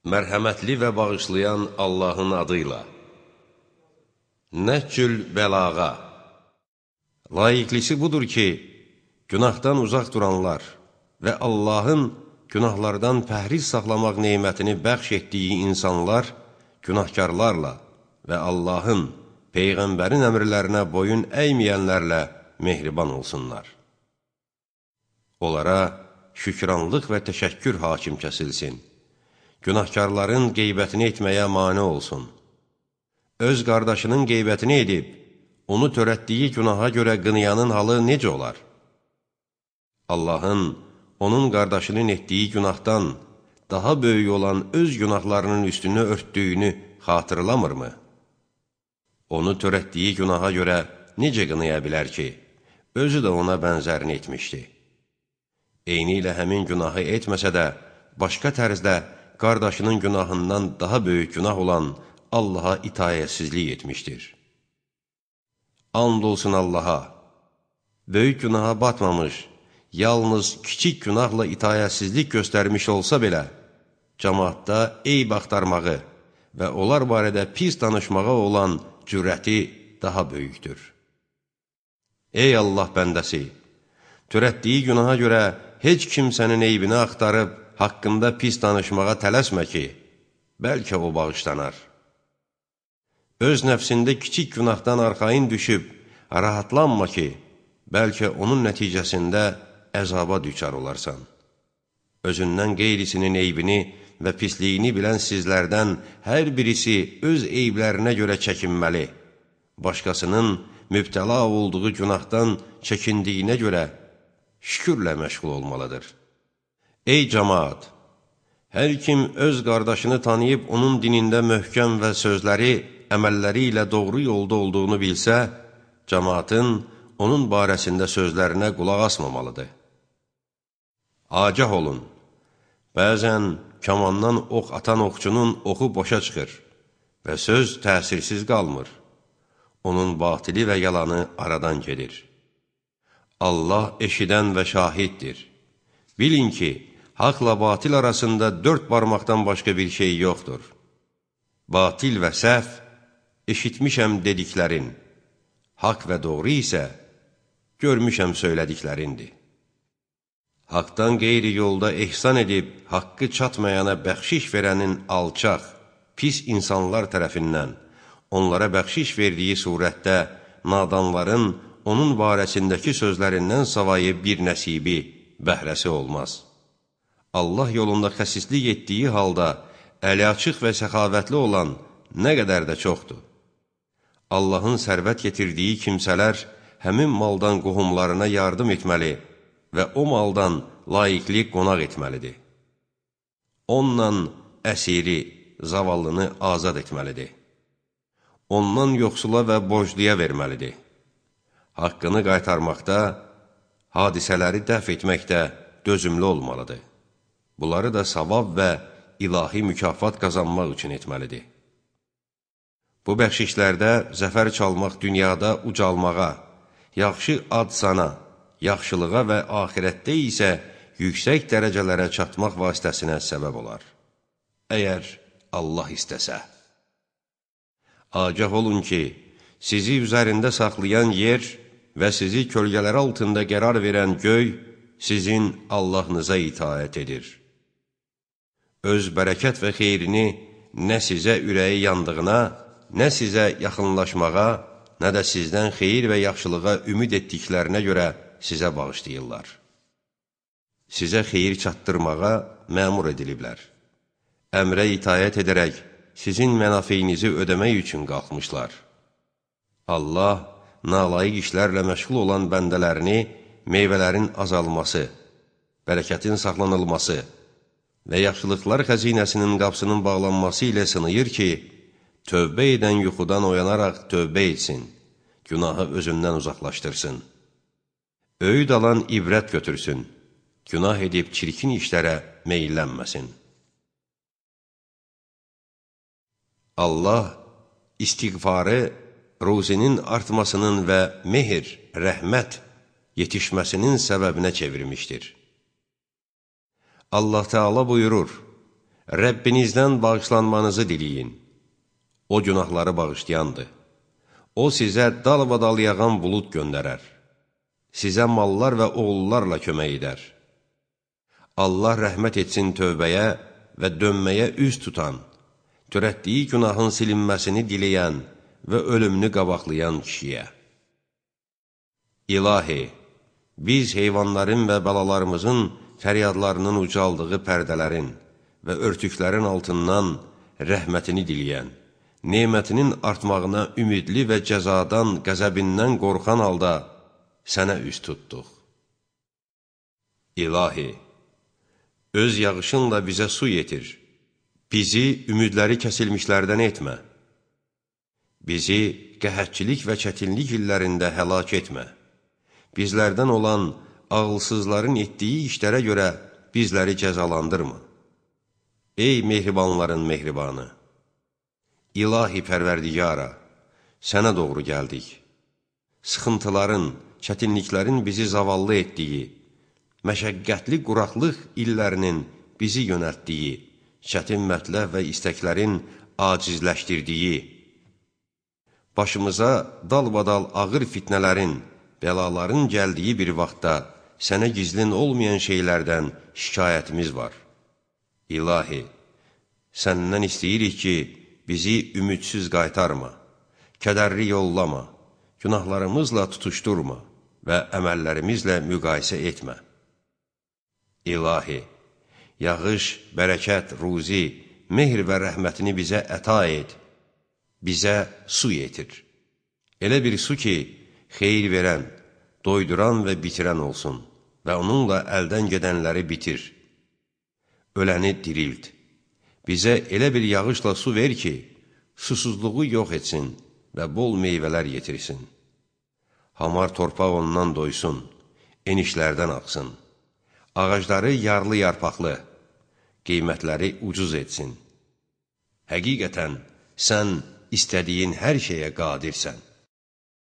Mərhəmətli və bağışlayan Allahın adıyla. Nəhcül bəlağa. Layiqlisi budur ki, günahdan uzaq duranlar və Allahın günahlardan pəhriz saxlamaq neymətini bəxş etdiyi insanlar günahkarlarla və Allahın, Peyğəmbərin əmrlərinə boyun əyməyənlərlə mehriban olsunlar. Onlara şükranlıq və təşəkkür hakim kəsilsin. Günahkarların qeybətini etməyə mane olsun. Öz qardaşının qeybətini edib, onu törətdiyi günaha görə qınayanın halı necə olar? Allahın onun qardaşının etdiyi günahdan daha böyük olan öz günahlarının üstünü örtdüyünü xatırlamırmı? Onu törətdiyi günaha görə necə qınaya bilər ki, özü də ona bənzərini etmişdi. Eyni ilə həmin günahı etməsə də, başqa tərzdə qardaşının günahından daha böyük günah olan Allaha itayətsizlik etmişdir. And olsun Allaha, böyük günaha batmamış, yalnız kiçik günahla itayətsizlik göstərmiş olsa belə, cəmaatda eyb axtarmağı və onlar barədə pis danışmağa olan cürəti daha böyükdür. Ey Allah bəndəsi! Törətdiyi günaha görə heç kimsənin eybini axtarıb, haqqında pis danışmağa tələsmə ki, bəlkə o bağışlanar. Öz nəfsində kiçik günahdan arxayın düşüb, rahatlanma ki, bəlkə onun nəticəsində əzaba düçar olarsan. Özündən qeyrisinin eybini və pisliyini bilən sizlərdən hər birisi öz eyblərinə görə çəkinməli, başqasının mübtəla olduğu günahdan çəkindiyinə görə şükürlə məşğul olmalıdır. Ey cəmaat! Hər kim öz qardaşını tanıyıb onun dinində möhkəm və sözləri, əməlləri ilə doğru yolda olduğunu bilsə, cəmaatın onun barəsində sözlərinə qulaq asmamalıdır. Agah olun! Bəzən kamandan ox atan oxçunun oxu boşa çıxır və söz təsirsiz qalmır. Onun batili və yalanı aradan gedir. Allah eşidən və şahiddir. Bilin ki, haqla batil arasında 4 barmaqdan başqa bir şey yoxdur. Batil və səhv, eşitmişəm dediklərin, haqq və doğru isə görmüşəm söylədiklərindir. Haqdan qeyri yolda ehsan edib, haqqı çatmayana bəxşiş verənin alçaq, pis insanlar tərəfindən, onlara bəxşiş verdiyi surətdə nadanların onun barəsindəki sözlərindən savayı bir nəsibi, bəhrəsi olmaz. Allah yolunda xəsislik etdiyi halda əli açıq və səxavətli olan nə qədər də çoxdur. Allahın sərvət yetirdiyi kimsələr həmin maldan qohumlarına yardım etməli və o maldan layiqli qonaq etməlidir. Onunla əsiri, zavallını azad etməlidir. Ondan yoxsula və borcluya verməlidir. Haqqını qaytarmaqda, hadisələri dəf etməkdə dözümlü olmalıdır. Bunları da savab və ilahi mükafat qazanmaq üçün etməlidir. Bu bəxşişlərdə zəfər çalmaq dünyada ucalmağa, yaxşı ad sana, yaxşılığa və axirətdə isə yüksək dərəcələrə çatmaq vasitəsinə səbəb olar. Əgər Allah istəsə. Agah olun ki, sizi üzərində saxlayan yer və sizi kölgələr altında qərar verən göy sizin Allahınıza itaət edir. Öz bərəkət və xeyrini nə sizə ürəyi yandığına, nə sizə yaxınlaşmağa, nə də sizdən xeyir və yaxşılığa ümid etdiklərinə görə sizə bağışlayırlar. Sizə xeyir çatdırmağa məmur ediliblər. Əmrə itayət edərək sizin mənafeyinizi ödəmək üçün qalxmışlar. Allah nalayiq işlərlə məşğul olan bəndələrini meyvələrin azalması, bərəkətin saxlanılması və yaxşılıqlar xəzinəsinin qapsının bağlanması ilə sınayır ki, tövbə edən yuxudan oyanaraq tövbə etsin, günahı özündən uzaqlaşdırsın. Öyüd alan ibrət götürsün, günah edib çirkin işlərə meyillənməsin. Allah istiğfarı ruzinin artmasının və mehr, rəhmət yetişməsinin səbəbinə çevirmişdir. Allah Teala buyurur, Rəbbinizdən bağışlanmanızı diləyin. O günahları bağışlayandır. O sizə dalbadal yağan bulud göndərər. Sizə mallar və oğullarla kömək edər. Allah rəhmət etsin tövbəyə və dönməyə üz tutan, törətdiyi günahın silinməsini diləyən və ölümünü qabaqlayan kişiyə. İlahi, biz heyvanların və balalarımızın fəryadlarının ucaldığı pərdələrin və örtüklərin altından rəhmətini diləyən, nemətinin artmağına ümidli və cəzadan, qəzəbindən qorxan halda sənə üz tutduq. İlahi, öz yağışınla bizə su yetir. Bizi ümidləri kəsilmişlərdən etmə. Bizi qəhətçilik və çətinlik illərində həlak etmə. Bizlərdən olan ağılsızların etdiyi işlərə görə bizləri cəzalandırma. Ey mehribanların mehribanı! İlahi pərverdigara, sənə doğru gəldik. Sıxıntıların, çətinliklərin bizi zavallı etdiyi, məşəqqətli quraqlıq illərinin bizi yönəltdiyi, çətin mətləb və istəklərin acizləşdirdiyi, başımıza dalbadal ağır fitnələrin, bəlaların gəldiyi bir vaxtda sənə gizlin olmayan şeylərdən şikayətimiz var. İlahi, səndən istəyirik ki, bizi ümidsiz qaytarma, kədərli yollama, günahlarımızla tutuşturma və əməllərimizlə müqayisə etmə. İlahi, yağış, bərəkət, ruzi, mehr və rəhmətini bizə əta et, bizə su yetir. Elə bir su ki, xeyir verən, doyduran və bitirən olsun və onunla əldən gedənləri bitir. Öləni dirilt. Bizə elə bir yağışla su ver ki, susuzluğu yox etsin və bol meyvələr yetirsin. Hamar torpaq ondan doysun, enişlərdən axsın. Ağacları yarlı yarpaqlı, qiymətləri ucuz etsin. Həqiqətən, sən istədiyin hər şeyə qadirsən.